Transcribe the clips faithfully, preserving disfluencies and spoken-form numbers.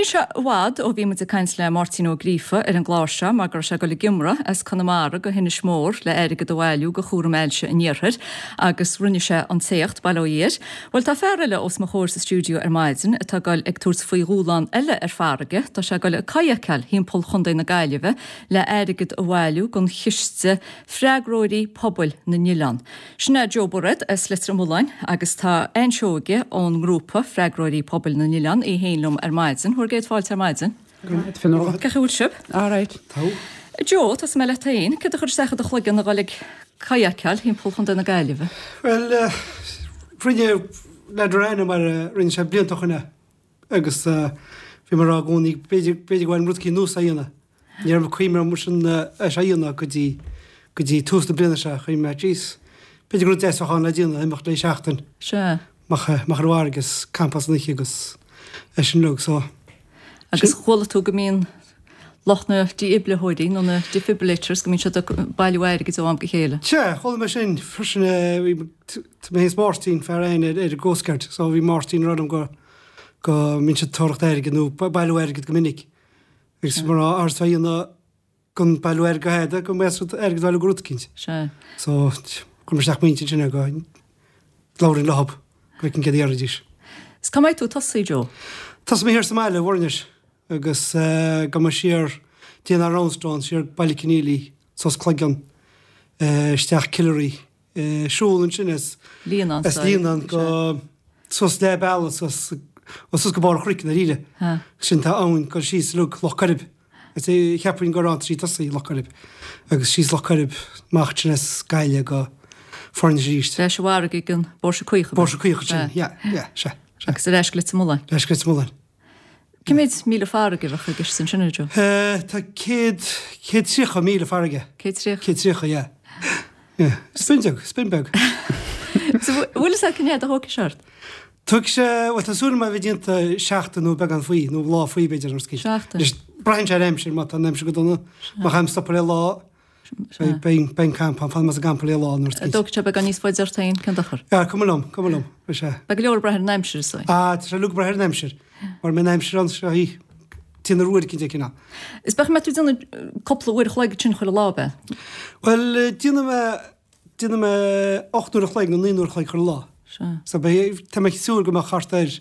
níl sé i bhfad ó bhí muid ag caint le Máirtín Ó Gríofa ar an gclár seo mar go raibh sé ag dul ag iomramh as Conamara go hInis Mór le airgead a bhailiú go chúram ailse an Iarthair agus rinne sé an t-éacht, bail ó Dhia air. Bhuel tá fear eile os mo chomhair sa stiúideo ar maidin atá ag dul ag tabhairt faoi dhúshlán eile ar farraige, tá sé ag dul ag kayakáil thimpeall Chontae na Gaillimhe le airgead a bhailiú don chiste Freagróirí Pobail na nOileán. Sin é Joe Bairéad as Leitir Mealláin agus tá Ann Seoige ón ngrúpa Freagróirí Pobail na nOileán í féin liom ar maidin. Bhur gcéad fáilte ar maidin. Cén chaoi a bhfuil sibh? All right. Joe, tosóidh mé leat féin, céard a chuir isteach i do chloigeann a dhul ag kayakáil thimpeall Chontae na Gaillimhe? Bhuel, rinne leaid ar mar rinne sé blianta ó shin é agus bhí mé ag rá i gcónaí b'fhéidir b'fhéidir go bhfuil rud éicint nua a dhéanamh. Ní raibh cuimhne orm sin é seo a dhéanamh go dtí go dtí tús na bliana seo chuimhnigh mé jeez b'fhéidir gur rud deas a bheadh ann le déanamh imeacht le seachtain. Sea. Amach amach ar an bhfarraige agus campáil san oíche agus é sin uilig so. Agus chuala tú go mbíonn lucht na dífhibritheoirí nó na defibrillators go mbíonn siad ag bailiú airgid ó am go chéile. Sea, chuala mé sin freisin bhí tá mé féin is Máirtín fear aon ar ar an gCoast Guard so bhí Máirtín ag rá liom go go mbíonn siad ag tóracht airgid nó bailiú airgid go minic. Agus mar a a dhéanamh gon bailiú airgid go hada go mbeadh siad airgead a bhailiú go rud eicínt. Sea. So chuir mé isteach m'intinn sin go labhrainn leo go bhfeicfinn céard a déarfaidís. Is cá mbeidh tú ag tosaí, Joe? Tosóidh mé thiar sa mbaile, i bhFoirnis, agus gabhfaidh mé siar dtí an Roundstone, siar Baile Conneely, suas Cloigeann, isteach Killary, siúl ansin as Líonán as Líonán go suas leath bealaigh suas ó suas go barr an chnoic i ndáiríre. Sin tá abhainn ag dul síos uilig Loch Coirib. Is é cheapfainn gur ann atá sí ag tosaí, Loch Coirib. Agus síos Loch Coirib, amach ansin as Gaillimh go Foirnis arís. Ar ais sa bhfarraige ag an Bpóirse Caoch. Póirse Caoch ansin, yeah, yeah, sea, sea. Agus ar ais go Leitir Mealláin. Ar ais go Leitir Mealláin. Cé mhéad míle farraige a bheadh i gceist ansin, a Joe? Tá céad, céad tríocha míle farraige. Céad tríocha? Céad tríocha, yeah. Yeah. Spin beag, spin beag. So bhfuil fhios agat cén fhad a thógfaidh sé ort? Tógfaidh sé, bhuel tá súil agam a bheith déanta seachtain nó beagán faoi, nó lá faoi b'fhéidir, nó scéal. Seachtain. Anois, braitheann sé ar an aimsir, má tá an aimsir go dona, má chaithim stopadh le lá, beidh beidh an campa, fanfaidh mé sa gcampa le lá nó scéal. Dtógfaidh sé beagán níos faide ort féin, cén dochar? Yeah, cuma liom, cuma liom, beidh sé. Beidh go leor ag brath ar an aimsir is dóigh. Ah, tá sé uilig ag brath ar an aimsir, mar mbeidh an aimsir ann seo í, téann ar uair eicínt é cineál. Is beidh mé tú ag déanamh cúpla uair a chloig ansin chuile lá, ab ea? Bhuel, déanfaidh mé, Déanfaidh mé ocht n-uair a chloig nó naoi n-uair a chloig chuile lá. Sea. So beidh, tá mé ag súil go mbeadh thart ar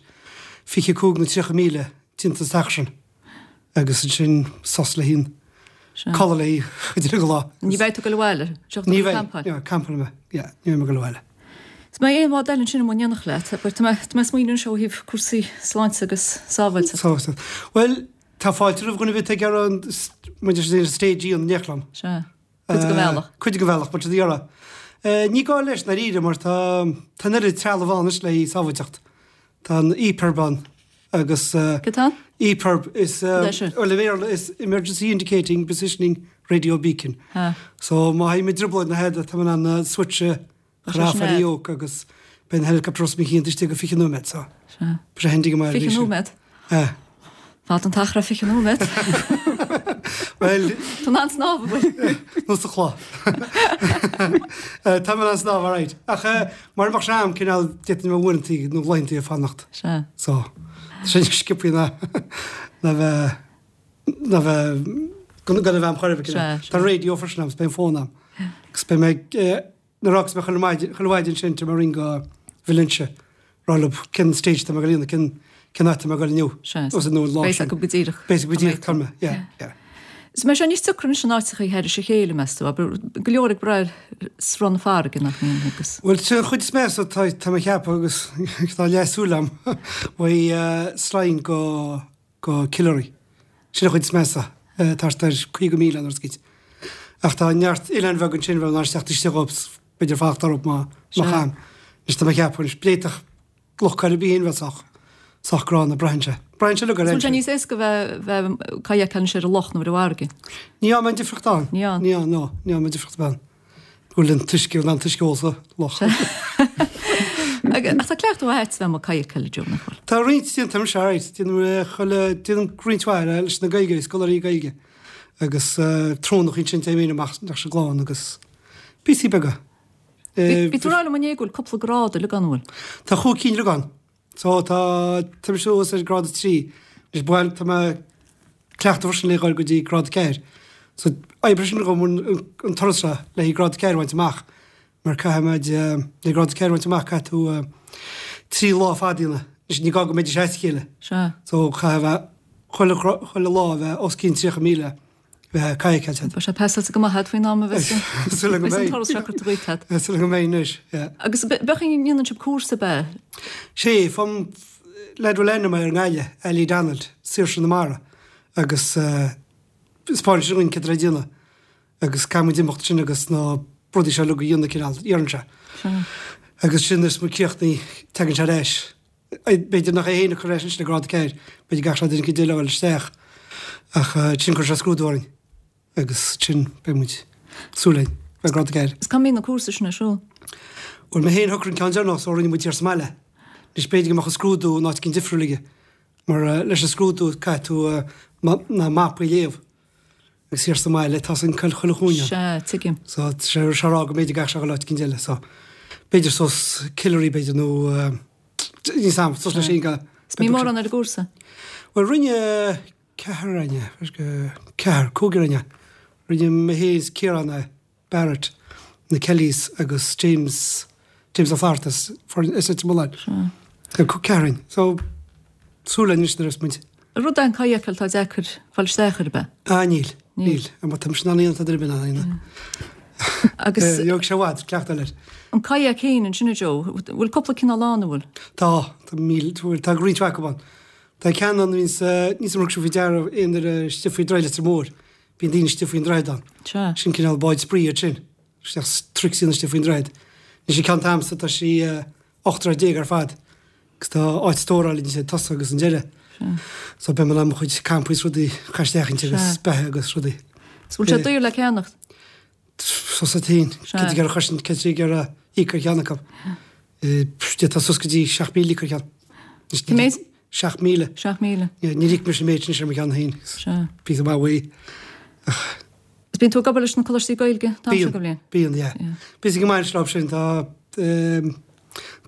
fiche cúig nó tríocha míle déanta sa t-achar sin. Agus ansin sos le haghaidh Sea. codladh le haghaidh chuid den lá. Ní bheidh tú ag dul abhaile? Seo Ní tú ag bheidh, campáil? yeah, campálfaidh mé, yeah, ní bheidh mé ag dul abhaile. Is mbeidh aon bhád eile ansin amuigh in éineacht leat, but tá mé, tá mé ag smaoineamh anseo ó thaobh cúrsaí sláinte agus sábháilteachta. Sábháilteacht. Bhuel, tá fáilte roimh dhuine ar bith atá ag iarraidh an, muid ar stage í an léachlann. Sea. Cuid den bhealach. Cuid den bhealach, mar tá iarraidh. Ní gá leis, ndáiríre, mar tá tá an oiread trealamh ann anois le haghaidh sábháilteacht. Tá an EPIRB ann agus. Cad tá ann? EPIRB is Cad é sin? bhuel i mBéarla is Emergency Indicating Positioning Radio Beacon. Ha. So má théim i dtrioblóid nó a leithéid tá mé in ann an switch a Tá chur sé off sin ar agat. yoke agus beidh an helicopter os mo chionn istigh go fiche nóiméad so. Sea. Beidh sé handy go maith Fiche arís. nóiméad? Eh. Fada an t-achar é fiche nóiméad. Bhuel. Tá in ann snámh, an bhfuil? Nó sa chlár. Tá mé in ann snámh, alright. Ach mura mbeadh sé a'm, cineál, d'fhéadfainn bheith uaireantaí nó laethantaí ag fanacht. Sea. So, tá sé níos sciobthaí ná ná bheith ná bheith gan gan a bheith a'm chor ar bith, cineál. Sea, Tá sea. raidió freisin a'm, 's beidh an fón a'm. Agus beidh mé ag nuair a fhágas mé chuile mhaidin chuile mhaidin sin tá mé ag ring go Valentia. Rá leo cén stage tá mé ag dul a dhéanamh, cén cén áit tá mé ag dul inniu. Sea, Os nó an lá beidh sin. acu go díreach. Beidh go Tá díreach mé- cá mé, yeah, yeah. Is mbeidh sé níos deacra anois an áiteachaí thairis a chéile, meas tú? Abair, go leor ag brath ar sruth na farraige nach mbíonn agus. Bhuel, sin an chuid is measa tá tá mé ag ceapadh agus tá leathshúil a'm uaidh Slane go go Killary. Sin an chuid is measa, thart ar caoga míle an rud Ach tá neart oileáin bheaga ansin bheadh in ann isteach istigh dhóibh b'fhéidir fanacht orthu má Sea. chaithim. Anois tá mé ag ceapadh anois b'fhéadfadh Loch Coirib í féin bheith sách sách gránna, braitheann sé. Braitheann sé uilig ar Is bhfuil sé aimsir. níos éasca bheith bheith kayakáil anois ar an loch nó ar an bhfarraige? Ní fhaca mé an difríocht ann. Ní ann. Ní ann, no. Ní fhaca mé an difríocht ann. Go bhfuil an t-uisce, an t-uisce ól sa loch. Ach tá cleachtadh mhaith agat bheith amuigh ag kayakáil, a Joe, nach bhfuil? Tá roinnt déanta agam, sea, right. Déanaim chuile, déanaim roinnt mhaith leis na Gaeilgeoirí, scoláirí Gaeilge. Agus trónach ansin téim féin amach leis an gclann agus píosaí beaga. Bhí tú ag rá liom inné go bhfuil cúpla grád uilig ann, an bhfuil? Tá chúig cinn uilig ann. So tá, tá mise thuas ar grád a trí, Anois bhuel tá mé ag cleachtadh freisin le dhul go dtí grád a ceathair. So oibre sin dhom an turas seo le haghaidh grád a ceathair a bhaint amach mar caithfidh muid le grád a ceathair a bhaint amach caithfidh tú trí lá fada a dhéanamh. Anois ní gá go mbeidís as a chéile. Sea. So caithfidh bheith chuile chuile lá a bheith os cionn tríocha míle bheith cadhcáilte agat. Beidh sé pasáilte go maith agat faoin am a bheas an Súil agam go bheas an mbeidh. turas seo curtha díot agat. Súil agam go mbeidh anois, yeah. Agus bheadh an ndéanann sibh cúrsa ab ea? Sé, fam leaid a bhfuil ainm air i nGaillimh, Ali Donald, Saoirse na Mara, agus 'spáineann sé dhúinn céard atá le déanamh agus caithfidh muid imeacht sin agus na rudaí seo uilig a dhéanamh cineál, iarrann sé. Agus sin is muid críochnaithe, tagann sé ar ais. B'fhéidir nach é féin a chur ar ais ansin le grád a ceathair, b'fhéidir go gcaithfidh sé duine éicint eile a fháil isteach ach ansin cuirfidh sé scrúdú orainn agus ansin beidh muid, súil againn, beidh grád a ceathair. Is cá mbíonn na cúrsaí sin ar siúl? Bhuel mé féin shocraigh an ceann deireanach so rinne muid thiar sa mbaile. Anois b'fhéidir go mbeadh an scrúdú in áit éicint difriúil aige mar leis an scrúdú caithfidh tú na mapaí a léamh agus thiar sa mbaile tá san chuile chúinne. Sea, tuigim. So tá sé a rá go mb'fhéidir go gcaithfidh sé a dhul áit éicint eile so b'fhéidir suas Killary b'fhéidir nó níl 's a'm suas leis sin go. Is mbíonn mórán ar an gcúrsa? Bhuel rinne ceathrar againne, ceathrar, cúigear againne. Rinne mé féin is Ciarán é. Barrett, na Kellys agus James, James Ó Flatharta as as Leitir Mealláin. Sea. Ceathrar againn. So, súil againn anois nuair a bheas muid. Rud é an kayak atá deacair fáil isteach air, ab ea? Ah, níl. Níl. Níl. Tá mise in ann a dhéanamh tá duine ar bith in ann a dhéanamh. Agus. Gheobhaidh sé i bhfad, cleachtadh leis. An kayak féin ansin, a Joe, bhfuil cúpla cineál ann, an bhfuil? Tá, tá míle, tá roinnt mhaith acu ann. Tá ceann ann a bhíonns, níl 's a'm ar thug sibh faoi deara aon uair istigh faoi Droichead Leitir Móir. Bíonn daoine istigh faoin droichead ann. Sea. Sin cineál báid spraoi iad sin. Isteach tricks a dhéanamh istigh faoin droichead. Anois an ceann atá a'msa tá sí ocht dtroigh déag ar fad agus tá áit stórála inti ag tosach agus an deireadh. Sea. So beidh mé in ann mo chuid campaí is rudaí a chur isteach inti agus Sea. beatha agus rudaí. Is bhfuil sé daor le ceannacht? Sos a féin. Sea. Cé gur chois cé gur íoc ar cheann acu. D'fhéadfá suas go dtí seacht míle íoc ar cheann. Cé mhéad? Seacht míle. Seacht míle. Níor íoc mise an méid sin ar mo cheann féin. Sea. Píosa maith uaidh. Ach. Is bíonn tú ag obair leis na coláistí Gaeilge an t-am seo den bhliain? Bíonn, yeah. Busy go maith leo sin. Tá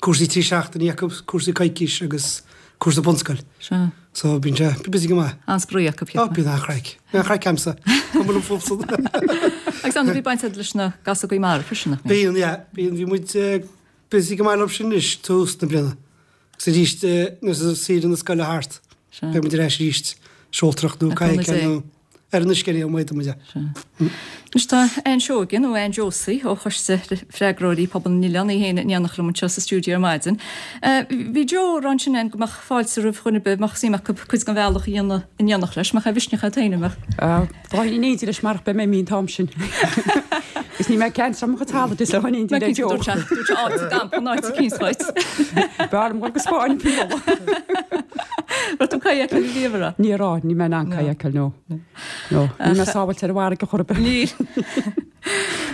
cúrsaí trí seachtainí acu, cúrsaí coicís agus cúrsa bunscoil. Sea. So bíonn sé busy go maith. An-spraoi acu, Ó, bíonn an-chraic. Bíonn an-chraic a'msa. Cuma liom fúmsa. Agus ar ndóigh bíonn baint agat leis na Gasógaí Mara freisin, nach mbíonn? Bíonn, yeah. Bíonn, bhí muid busy go maith leo sin anois tús na bliana. Agus arís nuair atá saoire na scoile thart, beidh muid ar ais arís, seoltóireacht nó kayak nó ar an uisce ar aon mhaith muid. Anois tá Ann Seoige nó Ann Josie ó Choiste Freagróirí Pobal na nOileán í féin in éineacht liom anseo sa stiúideo ar maidin. Bhí Joe ag rá ansin Ann go mbeadh fáilte roimh dhuine ar bith a mbeadh suim acu cuid den bhealach a dhéanamh in éineacht leis, mbeadh aon mhisneach agat féin, an mbeadh? Bheinn in éindí leis marach beidh mé imithe an t-am sin. Agus níl mé ag ceannsú mo chuid holidays le in éindí le Joe. Dúirt sé dúirt sé áit i gcampa an áit eicínt dhuit. B'fhearr liom dul go Spáinn faoi mholadh. Raibh tú kayakáil riamh an raibh? Ní raibh, níl mé in ann kayakáil no. No, níl mé sábháilte ar an bhfarraige chor ar bith. Níl.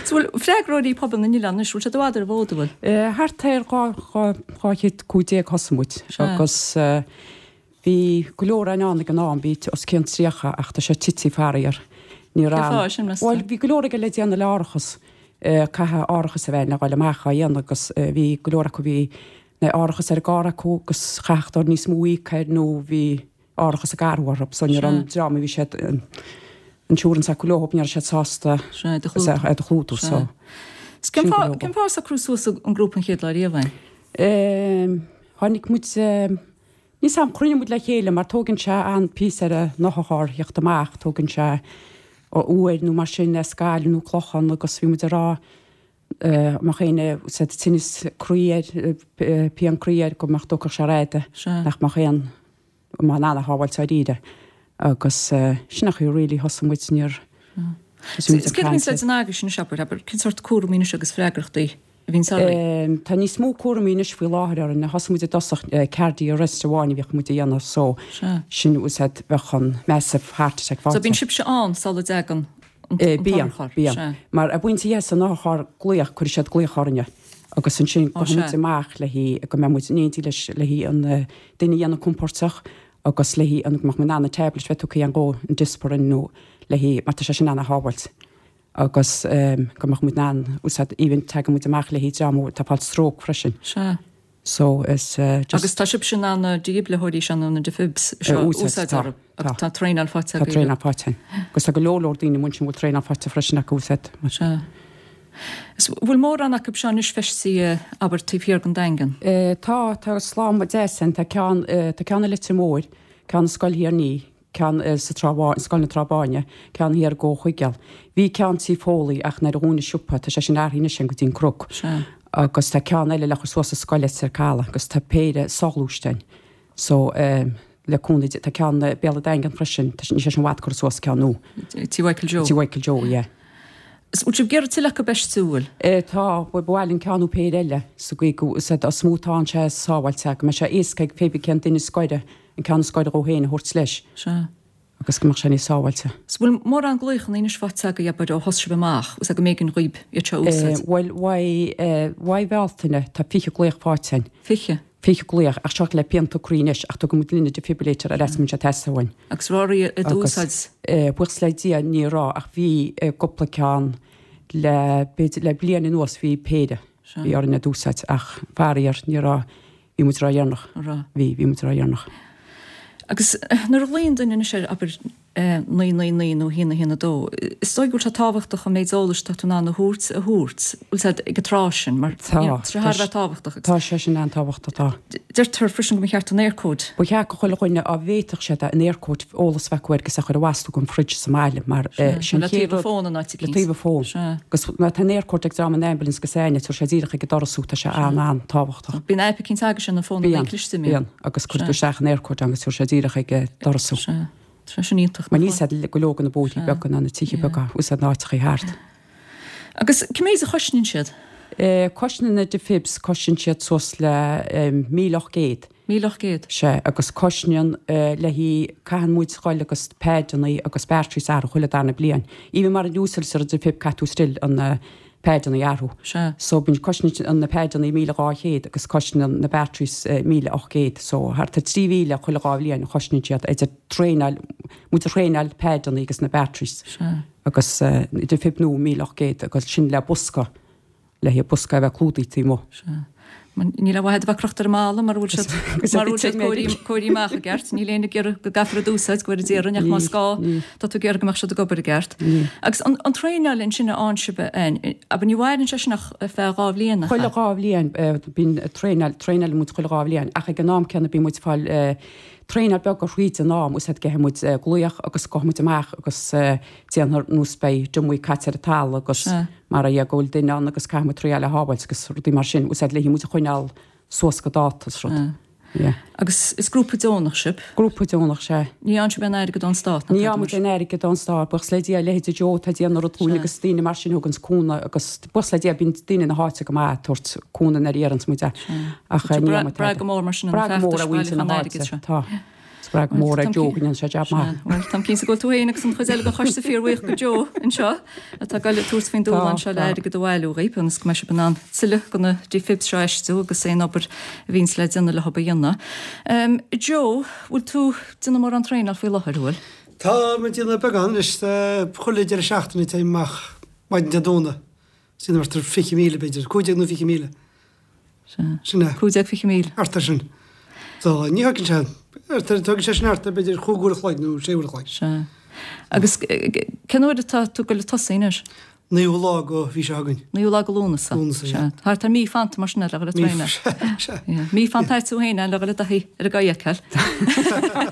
So bhfuil freagróirí pobal na n-oileán anois, bhfuil siad i bhfad ar an bhfód, an bhfuil? Thart ar dhá dhá dhá chéad cúig déag thosaigh muid agus Bhí go leor againn ann ag an am, bhí os cionn tríocha ach tá sé tite faraor. Ní Cén raibh. fáth sin, meas tú? Bhuel, bhí go leor aige le déanamh le árachas. Caithfidh árachas a bheith le dhul amach á dhéanamh agus bhí go leor acu bhí na árachas ar an gcarr acu agus chaithfeadh dóibh níos mó a íoc air nó bhí árachas ag athrú orthu so ní raibh an Sea. dream a bhí siad an insurance acu leo ní raibh siad sásta Sea, é do chlúdú. é do chlúdú Sea. so Is cén sin go fáth, leor. cén fáth ar socrú suas an grúpa an chéad lá riamh, Ann? Tháinig muid Níl 's a'm, chruinnigh muid le chéile mar tógann sé an-phíosa ar an otharcharr theacht amach, tógann sé uair nó mar sin as Gaillimh nó Clochán agus bhí muid ag rá mbeadh éinne said tinneas croí air, pian croí air go mbeadh dtógfadh sé ride, nach mbeadh aon, go mbeadh in ann a shábháilt dáiríre agus sin an chaoi really thosaigh muid níor, Is céard a bhíonns le déanamh agaibhse anois abair, abair, cén sórt cúraimí anois agus freagrachtaí a bhíonns oraibh? Tá níos mó cúraimí anois faoi láthair orainn. Thosaigh muid i dtosach cardiac arrest amháin a bhíodh muid a dhéanamh so Sea. sin úsáid bheadh an massive heart attack So faighte. bíonn sibhse ann sula dtagann an Bíonn, t-otharcharr? bíonn. Sea. Mar an bpointe a dheas an otharcharr glaoch, cuirfidh siad glaoch orainne agus ansin Ó gabhfaidh muid sea. amach le haghaidh go mbeidh muid in éindí leis le haghaidh an duine a dhéanamh compóirteach agus le haghaidh an go mbeadh muid in ann an tablet bheith tugtha againn dhó, an Dispirin nó le haghaidh mar tá sé sin ana-shábháilt. agus go mbeadh muid in ann úsáid even tagann muid amach le haghaidh dream atá ag fáil stroke freisin. Sea. So is just. Agus tá sibhse in ann na dífhibritheoirí seo nó na defibs seo a úsáid orthu agus tá traenáil faighte agaibh. Tá traenáil faighte. Agus tá go leor leor daoine amuigh ansin a bhfuil traenáil faighte freisin acu úsáid. Sea. Is bhfuil mórán acu seo anois feistithe abair taobh thiar den Daingean? Tá, tá slám deas ann, tá ceann, tá ceann i Leitir Móir, ceann i Scoil Thír an Fhia, ceann sa Trá Bháin, Scoil na Trá Báine, ceann thiar i gCo Chuigéal. Bhí ceann Tí Foley ach nuair a dhún an siopa, tá sé sin athraithe anois go dtí an Cnoc. Sea. Agus tá ceann eile le cur suas sa scoil Leitir Caladh agus tá péire soghluaiste ann. So, le cúnamh Dé, tá ceann i Béal an Daingin freisin, tá, níl sé sin i bhfad curtha suas, ceann nua. Tí Mhichael Joe. Tí Mhichael Joe, yeah. Is bhfuil sibh ag iarraidh tuilleadh acu a fheistiú, bhfuil? Tá, ba mhaith linn ceann nó péire eile sa gcaoi go, is mó atá sé sábháilte, go mbeidh sé éasca ag pé bith cén duine is gaire, an ceann is gaire dhó féin a thabhairt leis. Sea. Agus go mbeadh sé níos sábháilte. Is bhfuil mórán glaochanna anois faighte agaibh, abair, ó thosaigh sibh amach, is go mb'éigean dhaoib iad seo a úsáid? Bhuel, uaidh, uaidh Bhealtaine tá fiche glaoch faighte againn. Fiche? fiche glaoch, ach seo le pianta croí anois, ach tugann muid linn an defibrillator ar ais má bhíonn sé ag teastáil uainn. Agus raibh oraibh iad a úsáid? Buíochas le Dia ní raibh, ach bhí cúpla ceann le, b'fhéidir le bliain anuas bhí péire, bhí orainn iad a úsáid ach faraor ní raibh, bhí muid ródheireanach. Bhí, bhí muid ródheireanach. Agus nuair a ghlaonn duine anois ar, abair, naoi naoi naoi nó a haon a haon a dó. Is dóigh go bhfuil sé tábhachtach an méid eolais atá tú in ann a thabhairt a thabhairt, bhfuil sé ag an tráth sin, mar Tá, tá sé thar a bheith tábhachtach. Tá sé sin an-tábhachtach, tá. Deirtear freisin go mba cheart an Eircode. Ba cheart go chuile dhuine dá bhféadfadh siad é, an Eircode, eolas a bheith acu air agus é a chur i bhfostú an fridge sa mbaile mar sin Le taobh an fón in áit Le taobh an fón. Agus má tá an Eircode ag dream an ambulance agus éinne, tabharfaidh sé díreach ag an doras thú, tá sé an-an-tábhachtach. Bíonn aip eicínt agat ar an bhfón Bíonn, cliste, mbíonn? bíonn, agus cuirtear isteach an Eircode agus tabharfaidh sé díreach ag an doras thú. Sea. Tá sé sin iontach. Mar níl a fhios ag go leor de na bóithrí beaga ná na tithe beaga is na áiteachaí thart. Agus cé méid a chosnaíonn siad? Cosnaíonn na defibs, cosnaíonn siad suas le míle ocht gcéad. Míle ocht gcéad? Sea, agus cosnaíonn le hí, caitheann muid dhul agus paideanna agus batteries a athrú chuile darna bliain. Even mara n-úsáidtear an defib caithfidh tú still an paideanna a athrú. Sea. So bíonn cosnaíonn na paideanna míle dhá chéad agus cosnaíonn na batteries míle ocht gcéad. So thart ar trí mhíle chuile dhá bhliain a chosnaíonn siad idir traenáil, muid a thraenáil, paideanna agus na batteries. Sea. Agus defib nua míle ocht gcéad agus sin le bosca, le haghaidh bosca a bheith clúdaithe taobh amuigh. Sea. Níl aon mhaith iad a bheith crochta ar an mballa mura bhfuil siad mura bhfuil siad cóirithe amach i gceart. Níl éinne ag iarraidh go gcaithfear iad a úsáid go bhfóire Dia orainn ach más gá tá tú ag iarraidh go mbeadh siad ag obair i gceart. Agus an traenáil ansin a fhaigheann sibh abair ní mhaireann sé sin ach ar feadh dhá bhliain nach ea? Chuile dhá bhliain bíonn traenáil, traenálann muid chuile dhá bhliain ach ag an am céanna bíonn muid ag fáil traenáil beag thríd an am úsáid gheobhaidh muid glaoch agus gabhfaidh muid amach agus déanfar nós beidh drumaí caite ar an talamh agus mar a go bhfuil duine ann agus caithfidh muid triáil a shábháilt agus rudaí mar sin úsáid le muid a choinneáil suas go dáta is rud. Yeah. Agus is grúpa deonach sibh? Grúpa deonach, sea. Ní fhaigheann sibh aon airgead ón stát, nach Ní fhaigheann muid aon airgead ón stát, buíochas le Dia, leithéidí Joe atá ag déanamh rud dúinn agus daoine mar sin a thuganns cúnamh agus buíochas le Dia bíonn daoine na háite go maith ag tabhairt cúnamh nuair a iarranns muid é. Ach ní fhaigheann muid Brath go mór mar sin ar Brath na go mór feachtais ar mhuintir na bailiúchán airgid háite, seo. tá. Is brath go mór ar Joe go ndéanann sé jab maith. Bhuel, táim cinnte go bhfuil tú féin agus an chuid eile den choiste fíorbhuíoch go Joe anseo atá ag goil ag tabhairt faoin dúshlán seo le airgead a bhailiú dhaoib ionas go mbeidh sibh in ann tuilleadh de na defibs seo a fheistiú agus aon obair a bhíonns le déanamh leo a dhéanamh. Joe, bhfuil tú ag déanamh mórán traenáil faoi láthair, an bhfuil? Tá mé ag déanamh beagán anois. Chuile deireadh seachtaine téim amach maidin Dé Domhnaigh. Sin thart ar fiche míle b'fhéidir, cúig déag nó fiche míle. Sea. Sin é. Cúig déag fiche míle. Thart ar sin. So, ní thógann sé, tógann sé sin thart ar b'fhéidir chúig uair a chloig nó sé uair a chloig. Sea. Agus cén uair atá tú ag goil ag tosaí anois? Naoú lá go mhí seo chugainn. Naoú lá go Lúnasa. Lúnasa, sea. Thart ar mí fanta mar sin le dhul ag traenáil. Sea. Mí fanta a'd tú féin le dhul i dtaithí ar an gcaoi a fheiceáil.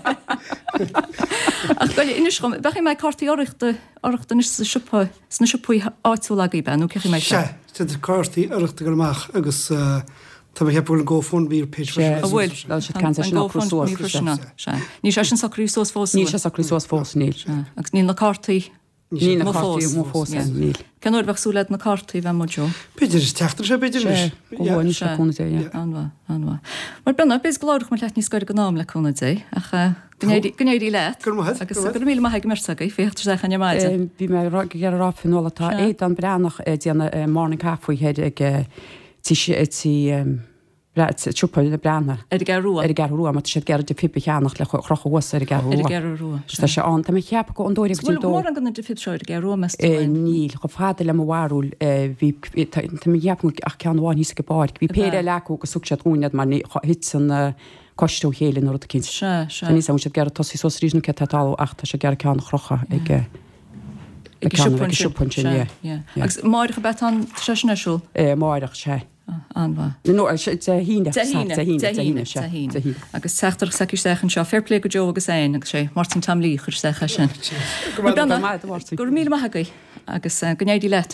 Ach goil, inis dhom, bheadh mé cártaí urraíochta urraíochta anois sa siopa, sna siopaí áitiúla agaibh, nó cén chaoi a mbeidh sé? Sea, tá cártaí urraíochta ag dul amach agus Tá mé ag ceapadh go bhfuil an GoFundMe page freisin. An bhfuil? Tá siad ceann sin á cur suas. freisin ann. Sea. Níl sé sin socraithe suas fós, Níl sé socraithe suas fós, níl. Sea. Agus níl na cártaí Níl na amuigh cártaí fós. amuigh fós, Yeah. níl. Cén uair a bheadh súil agat na cártaí a bheith amuigh, Joe? B'fhéidir an tseachtain seo, b'fhéidir Sea, anois. go luath anois le cúnamh Dé, yeah. An-mhaith, an-mhaith. Mar b'ionadh, b'fhéidir go labhródh muid leat níos gaire don am le cúnamh Dé, ach go n-éirí, go n-éirí leat. Go raibh maith agat, Agus go raibh go raibh míle maith ag an mbeirt agaibh faoi theacht isteach ar maidin. Bhí mé ag iarraidh a rá Fionnuala, tá Sea. Aodán Breathnach ag déanamh morning coffee thoir ag Tí, tí siopa le breathnú. Ar an gCeathrú Rua. Ar an gCeathrú Rua, mar tá siad ag iarraidh defib a cheannach le crochadh thuas ar an gCeathrú Ar an Rua. gCeathrú Rua, Tá sé ann, tá mé ag ceapadh go an dóigh go dtí Bhfuil dó. mórán de na defib seo ar an gCeathrú Rua, meas tú? Eh, Níl, chomh fada le mo bharúil, eh, bhí, tá tá mé ag ceapadh ach ceann amháin thíos ag an bpáirc. Bhí péire eile acu agus thug siad dhúinn iad mar ní thit an eh, coiste ó chéile nó rud eicínt. Sea, sea. Tá níos ann siad ag iarraidh tosaí suas arís nó céard atá ag tarlú ach tá sé ag iarraidh ceann a chrochadh ag eh, Ag ag ceann- siopa ag an siopa ansin, Sea, yeah. yeah. Yeah. Agus amárach ab ea tá an- tá sé sin ar siúl? Eh, Amárach, sea. An-mhaith. No, Dé hAoine. Dé hAoine, Dé hAoine, Dé Dé hAoine, hAoine, sea. Dé hAoine. Dé hAoine. Agus teachtaireacht s'aici isteach anseo, fair play go Joe agus Anne, agus sé Máirtín Tom Lee chuir isteach é sin. Go raibh Beanna, maith, a Mháirtín. Go raibh míle maith agaibh agus eh, go n-éirí leat.